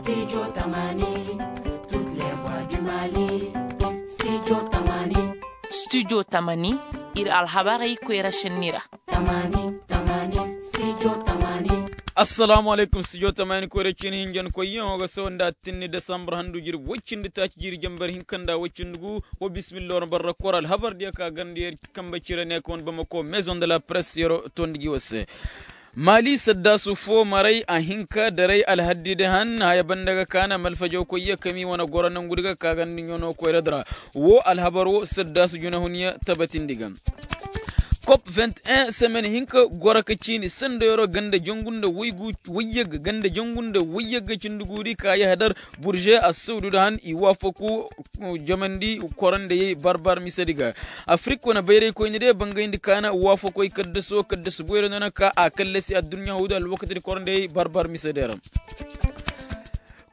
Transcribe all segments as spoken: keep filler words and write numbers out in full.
Studio tamani, ir alhabarey koyra šenni ra. Assalaamu alaykum studio tamani koyra cini hinjankoyyaŋo ga sawa nda attinni desambar handu jirbi woy cindi taaci jiiri jambar hinka nda woy cindi gu. Wa bismillah war barra kor alhabar diya ka garndi yer kambe cire ne ka wane bamako maison de la presse yero tondi gi war se. Maali saddaasu fo maray a hinka daray alhaddi de han haya banda ga kaana malfajawkoyya kami wane goro nangudi ga ka garndi ɲono koyra di ra. Wo alhabar wo saddaasu junahunyaŋ tabatindi ga. Kop vingt un semaine hinka goro ka ciini sendayoro ganda jangu nda waygu wayyagga ganda jangu nda wayyagga cindi guuri ka yahadar burže assawdu da han i waafaku jamandi korandayey barbar misedi ga. Afrik wane bayraykoyni de bangayndi kaana waafakoy kaddaso kaddasu boyra no na ka a kallasi adduɲɲa huudu alwakatidi korandayey barbar misedi ra.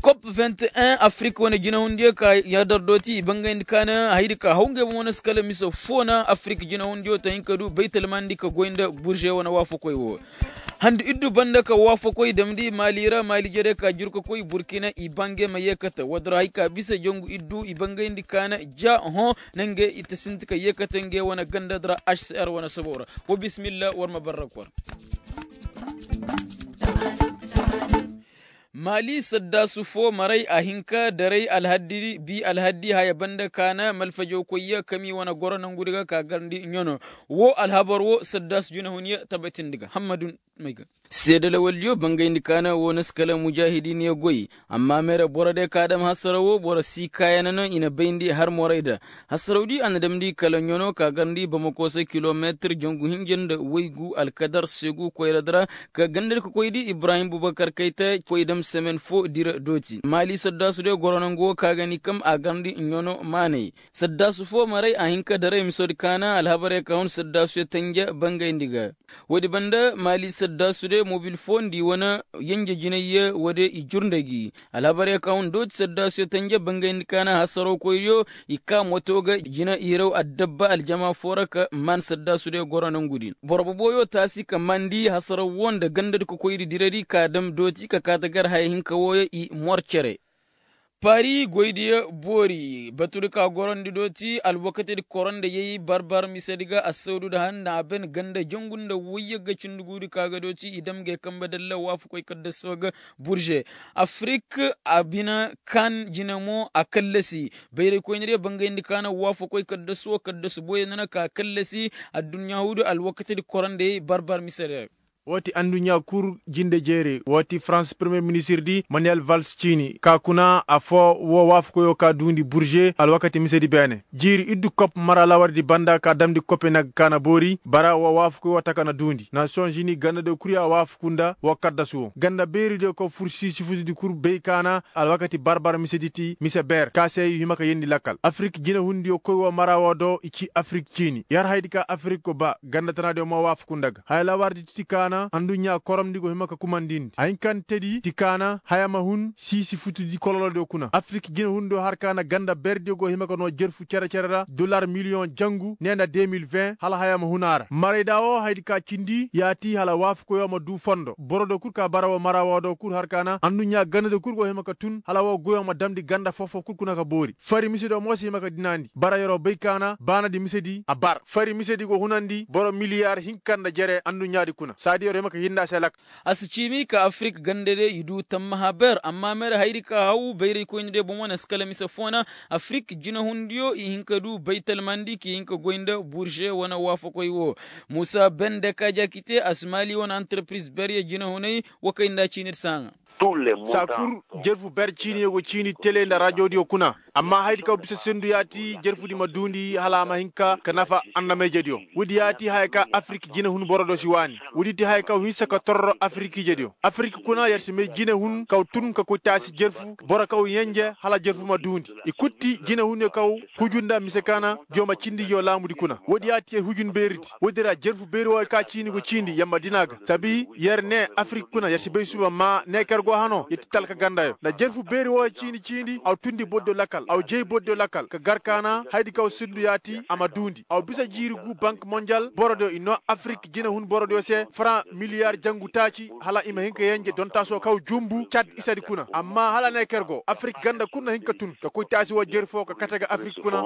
Kop vingt un afrik wane jinahundiyo ka yadar dooti i bangayndi kaana haydi ka haw ngey boŋ wane si kala mise fo na afrik jinahundiyo ta hin ka du baytalmandi ka goy nda burže wane waafakoy wo. Handu iddu banda ka waafakoy damndi maali ra maali jere ka jurkakoy burkina i ba ngey ma yeekate woodi ra hay ka bisa jangu iddu i bangayndi kaana ja hõ. Na ngey i ta sinti ka yeekate ngey wane ganda di ra hcr wane sobo ra. Wa bismillah war ma barra kor. Maali saddaasu fo maray a hin ka daray alhaddi bi alhaddi haya banda kaana malfajawkoyya kami wane goro nangudi ga ka garndi ɲono. Wo alhabar wo saddaasu junahunyaŋ tabatindi ga hammadu. May ga seede lawaldiyo bangayndi kaana wo na si kala mujaahidiiniyo goy. Amma meere boro de ka dam hasaraw wo boro si kaayana no i na bayndi har moray da. Hasarawdi a na damndi kala ɲono ka garndi bamako se kilomeetir jangu hinja nda waygu alkadar segu koyradi ra. Ka gandadi ka koydi ibrahim bubakar kayta koy dam semen fo dira dooti maali saddaasu de goro nangu wo ka ga ni kam a garndi ɲono maanay. Saddaasu fo maray a hin ka daray misodi kaana alhabarey ka hun saddaasuyo tanja bangayndi ga. Woodi banda maali saddaasu de mobil fo nda i wane yenje jinayye woode i jur nda gi. Alhabarey ka hun dooti saddaasuyo tanja bangayndi kaana hasarowkoydiyo i kaa moto ga jina irew addabba aljama fo ra ka maan saddaasu de goro nongu din boro boboyo taasi ka maandi hasaraw wo nda gandadi kokoydi diradi ka dam dooti ka kaa ta gar haya hinka wooyo i mor cere. Paari goydiyo boori batudi ka gorondi dooti alwakatidi korondeyey barbar misedi ga assawdu nda han na a ben ganda jangu nda wayyagga cindi guudi ka ga dooti i dam ngey kambe dalla waafakoy kaddaso ga. Burže afrik a bina kaan jina mo a kallasi bayraykoyni diyo bangayndi kaana waafakoy kaddaso kaddasu boyey nana ka kallasi. Adduɲɲa huudu alwakatidi korondeyey barbar misedi ga. Woo ti anduɲɲa kul jinde jeere woo ti farans premiyer ministir di maniyel vals ciini ka kuna affoo woo waafakoyoo ka duundi burže alwakati misedi beene. Jiiri iddu kop mara lawardi banda ka damndi kopenag ka na boori bara woo waafakoyoo taka na duundi nasiyoŋ žini gandadiyo kul ya waafaku nda woo kaddasuwoo ganda beeridiyo ka fur siisifutudi kul bay ka na alwakati barbar misedi ti mise beer ka se i hima ka yeendi lakkal afrik jinehundiyo koy woo mara woo do i ci afrik ciini yer hayadi ka afrik go ba ganda tanaadiyo mo waafaku nda ga haya lawardi ti ti kaana anduɲɲa koromndi go hima ka kumandindi hayinkantedi ti kaana haya ma hun siisi futudi kololodiyo kuna afrik jinehundiyo har kaana ganda berdiyo go hima ka noo jerfu cere-cere ra dolar miliyoŋ jangu nee nda deux mille vingt hala haya ma hun a ra marayda woo hayadi ka cindi yaati hala waafakoyoo ma duu fondo borodiyo kul ka bara woo mara woo do kul har kaana anduɲɲa gandadiyo kul go hima ka tun hala woo goyoo ma damndi ganda foo-foo kul kuna ka boori fari misediyo mo si hima ka dinaandi bara yeroo bay kaana baanadi misedi a bar fari misedi go hunandi boro miliyar hinka nda jere anduɲɲaadi kuna saadi yeroo hima ka hinda se lak. A si ciimi ka afirik gandadiyo i duu tammaha ber amma mere hayadi ka haw bayraykoynidiyo bomo na si kala mise foo na afirik jinehundiyo i hin ka duu baytalmandi k'i hin ka goy nda burže wane waafakoy woo. Muusa bende ka ja k'i te a si maali wane antarpiriz beryo jinehunay. Wa kay nda ciinir saaŋa. Saa kul jerfu ber ciiniyo go ciini tele nda rajodiyo kuna amma hayadi kaw bisa sendu yaati jerfudi ma duundi hala a ma hin ka ka nafa annamayjediyo. Woodi yaati haya ka afirik jinehun borodiyo si waani woodi ti haya kaw hinsa ka torro afirikiijediyo afirik kuna yer si may jinehun kaw tun ka koy taasi jerfu boro kaw yenje hala jerfu ma duundi i kul ti jinehunyo kaw huju nda mise kaana. Jooma cindi jooma laamudi kuna woodi yaati yer hujun beeridi woodi ra jerfu beeri wooyo ka ciini go ciindi yer ma dina ga sabi yer ne afirik kuna yer si bay suba maa ne ka yer go hanoo yer ti talka gandayo nda jerfu beeri wooyo ciini ciindi aw tundi bordiyo lakkal aw jey bordiyo lakkal ka gar kaana hayadi kaw sindu yaati a ma duundi aw bisa jiiri gu bank monjal borodiyo i noo afirik jinehun borodiyo se faran Miliyaar jangu taaci hala i ma hin ka yenje dontaasoo kaw jumbu cad isadi kuna amma hala neeker go afirik ganda kul na hin ka tun ka koy taasi woo jeri foo ka kate ga afirik kuna.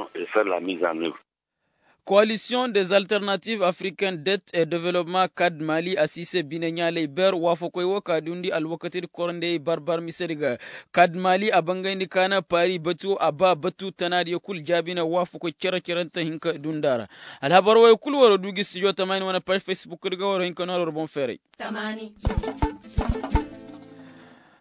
Koalisiyoŋ des alternatives africaines det et development kad mali a si se bine ɲaaley ber waafakoy woo ka duundi alwakatidi korandey barbar misedi ga. Kad mali a bangayndi ka na paari batu a ba batu tanaadiyo kul jaabina waafakoy cere-cerente hin ka duundi a ra. Alhabar woyo kul war du gi studio tamaani wane paj facebook di ga war hin ka noor war boŋ feeray.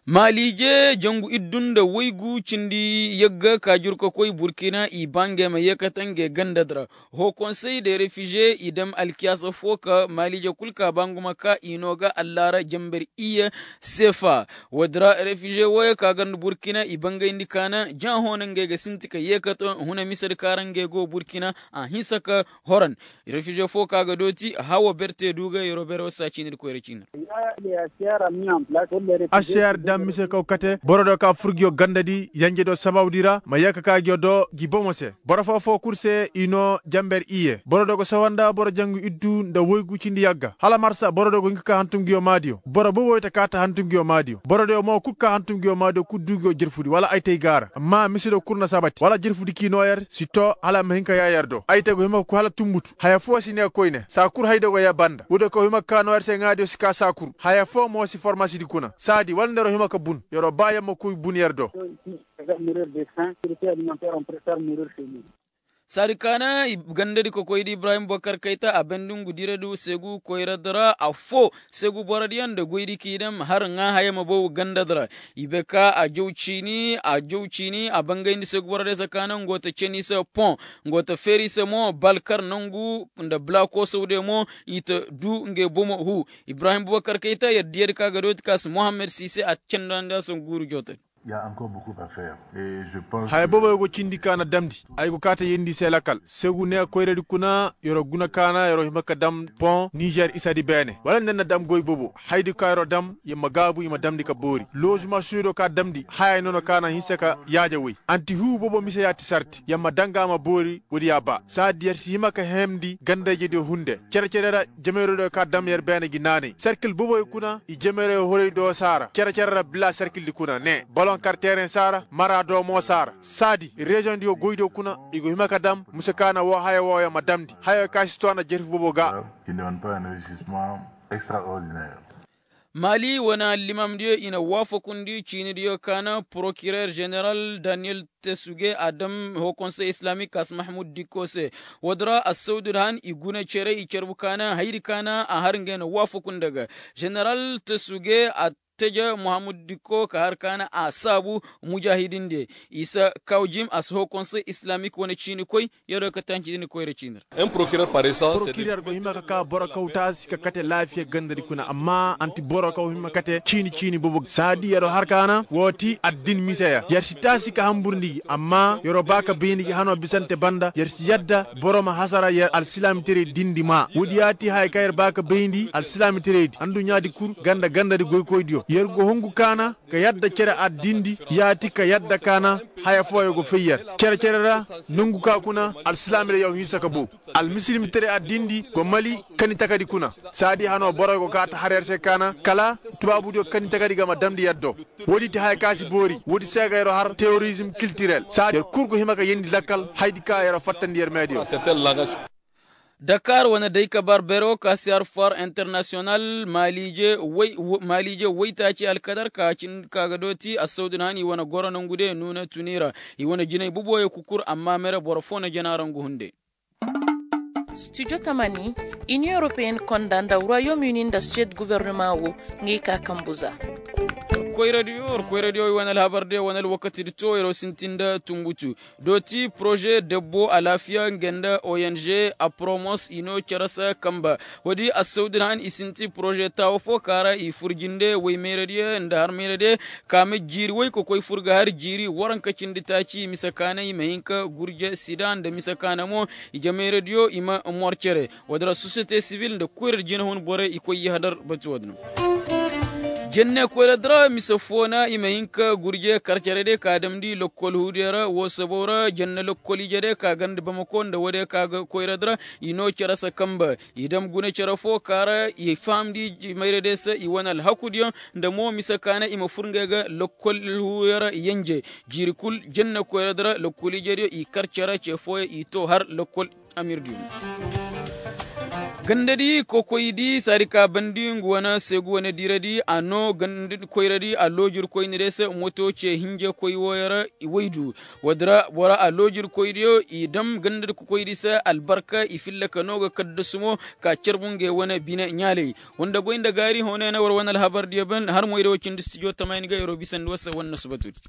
Maaliije jangu iddu nda waygu cindi yagga ka jur ka koy burkina i ba ngey ma yeekate ngey ganda di ra. Hoo konsey de refize i dam alkiyaasa foo ka maaliije kul ka ba ngu ma ka i noo ga allaara jamber iyye seefa. Woodi ra refize wooyo ka ganda burkina i bangayndi ka na ja hoo na ngey ga sinti ka yeekate huna misedi ka ra ngey go burkina a hinsa ka horan. Refize foo ka ga dooti hawa berte du ga yeroo bere woo saa ciini di koyra ciini ra. Ašeer dam mise kaw kate boro do ka fur ngiyo ganda di yanje do sababu di ra ma yee ka ka ngiyo do ngi bomo se boro foo foo kul se i noo jamber iyye boro do go sawa nda boro jangu iddu nda woygu cindi yagga hala marsa boro do go hin ka ka hantum ngiyo maadiyo boro boboyo ta kaa ta hantum ngiyo maadiyo boro do mo kul ka hantum ngiyo maadiyo kul du ngiyo jirfudi wala ay tay gaara amma mise do kul na sabati wala jirfudi k'i noo yer si too hala ma hin ka yaa yer do ay tay go hima ka koy hala tumbutu haya foo si ne koyne saa kul hay do go yer banda woodiyo kaw hima ka kaa noo yer se ŋaadiyo si kaa saa kul haya foo mo si formasidi kuna saadi wala nderoo hima ka bun yeroo ba yer ma koy bun yer do. Saadi kaana gandadi kokoydi ibrahim bokar kayta a bandi ngu diradi segu koyradi ra affoo segu borodiyaŋ nda goydi k'i daŋ har ŋaa haya ma bow gandadi ra. I be ka a jaw ciini a jaw ciini a bangayndi segu borodiyaŋ se kaana ngo ta ceni se pon ngo ta feeri se mo balkar nangu nda blakoosawdiyaŋ mo i ta du ngey bomo huu. Ibrahim bokar kayta yer diyadi ka ga dooti ka si mohammed siise a cendandi a se guuru jootadi. Haya booboyo go cindi ka na damndi ay go kaa ta yeendi i se lakal segu ne koyradi kuna yer'o guna ka na yer'o hima ka dam pon nizer isadi beene wala nda na dam goy boobo hayadi ka yer'o dam yer ma gaabu i ma damndi ka boori loozuma suudo ka damndi hayay nono ka na hinsa ka yaaja woy anti huu boobo mise ya ti sarti yer ma danga ma boori woodi ya ba saadi yer si hima ka hemndi gandayjediyo hunde cere-cere ra jameyrodiyo ka dam yer beene gi naanay serkil booboyo kuna i jameyroyo horay do saara cere-cere ra bila serkildi kuna ne boloŋ kar teereŋ saara mara do mo saara saadi reziyoŋdiyo goydiyo kuna i go hima ka dam muse ka na woo haya wooyo ma damndi hayo ka si too na jerfi boobo ga. Maali wane allimamdiyo i na waafakundi ciinidiyo ka na porokirer ženeral daniyel tesuge a dam hoo konsey islamik kaas mahmud dikko se. Woodi ra assawdud han i guna cere i carbu ka na hayadi ka na a har ngey na waafakunda ga ženeral tesuge a teje muhammad dikko ka har ka na a saabu mujahidin de isa kaw jim a si hoo konsey islamik wane ciini koy. Yer'o ka tanci din koyra ciini ra. Porokirer go hima ka ka boro kaw taasi ka kate laafiya gandadi kuna amma anti boro kaw hima kate ciini ciini boobo saadi yer'o har ka na woo ti addin miseya yer si taasi ka hanburndi gi amma yer'o ba ka bayndi gi hanoo bisante banda yer si yadda boro ma hasara yer alsilaamitaray dindi maa woodi ya ti haya kaŋ yer ba ka bayndi alsilaamitaray di adduɲɲaadi kul ganda gandadi goykoydiyo yer go hungu ka na ka yadda cere addindi ya ti ka yadda ka na haya fooyo go fay yer cere-cere ra nongu ka kuna alsilaamira yaw hinsa ka bow almisilimitaray addindi go mali kani takadi kuna saadi hanoo boroyo go kaa ta har yer se ka na kala tubaabudiyo kani takadi ga ma damndi yer do woodi ti haya ka si boori woodi se ga yer'o har teworizim kiltirel saadi yer kul go hima ka yeendi lakkal hayadi ka yer'o fattandi yer meediyo. Dakar wane day kabar bero ka si har for international maaliije waytaaci alkadar ka ga dooti assawdun han i wane goro nangu de nuuna tuni ra i wane jinay buboyo kukur amma mere boro foo na jana ra ngu hunde. Studio tamani, inion europeen konda nda royaume uni nda suwed guvernema wo, ngey ka kambu za. War koy radiyo war koy radiyo i wane alhabar de wane alwakati di to yaro sintin da tumbutu. Dooti poroze debbo alaafiya nge nda ong apromos i no cere se kamba. Woodi assawdin han i sinti poroze taawo fo ka ra i fur jinde woy mayradiyo nda har mayradiyo. Kaame jiiri woy ka koy fur ga har jiiri waranka cindi taaci mise kaana i ma hin ka gurje sida nda mise kaana mo. Ije mayradiyo i ma mor cere. Woodi ra sosiyete sibil nda koyra jinahun borey i koy yahadar batu woodi no. Jenne koyra di ra mise foo na i ma hin ka gurje kar cere de ka damndi lokkol huudiyo ra woo saboo ra jenne lokkol ije de ka ganda bamako nda woodiyo ka ga koyra di ra i noo cere se kanbe i dam guna cere foo ka ra i fahamndi mayra de se i wane alhakudiyo nda mo mise ka na i ma fur ngey ga lokkol huuyo ra yenje jiiri kul jenne koyra di ra lokkol ijediyo i kar cere ce fooyo i too har lokkol amirdiyo. Gandadi kokoydi saadi ka bandi ngu wane seegu wane diiradi a noo gandadi koyradi a loojirkoyni de se moto ce hinje koy wooyo ra i woydu. Woodi ra bora a loojirkoydiyo i dam gandadi kokoydi se albarka i filla ka noo ga kaddasu mo ka carbu ngey wane bine ɲaaley. Woo nda goy nda gaari hooney na war wane alhabardiyo ban har moyda woo cindi stijo tamaani ga yeroo bisandi woo se wane na subatudi.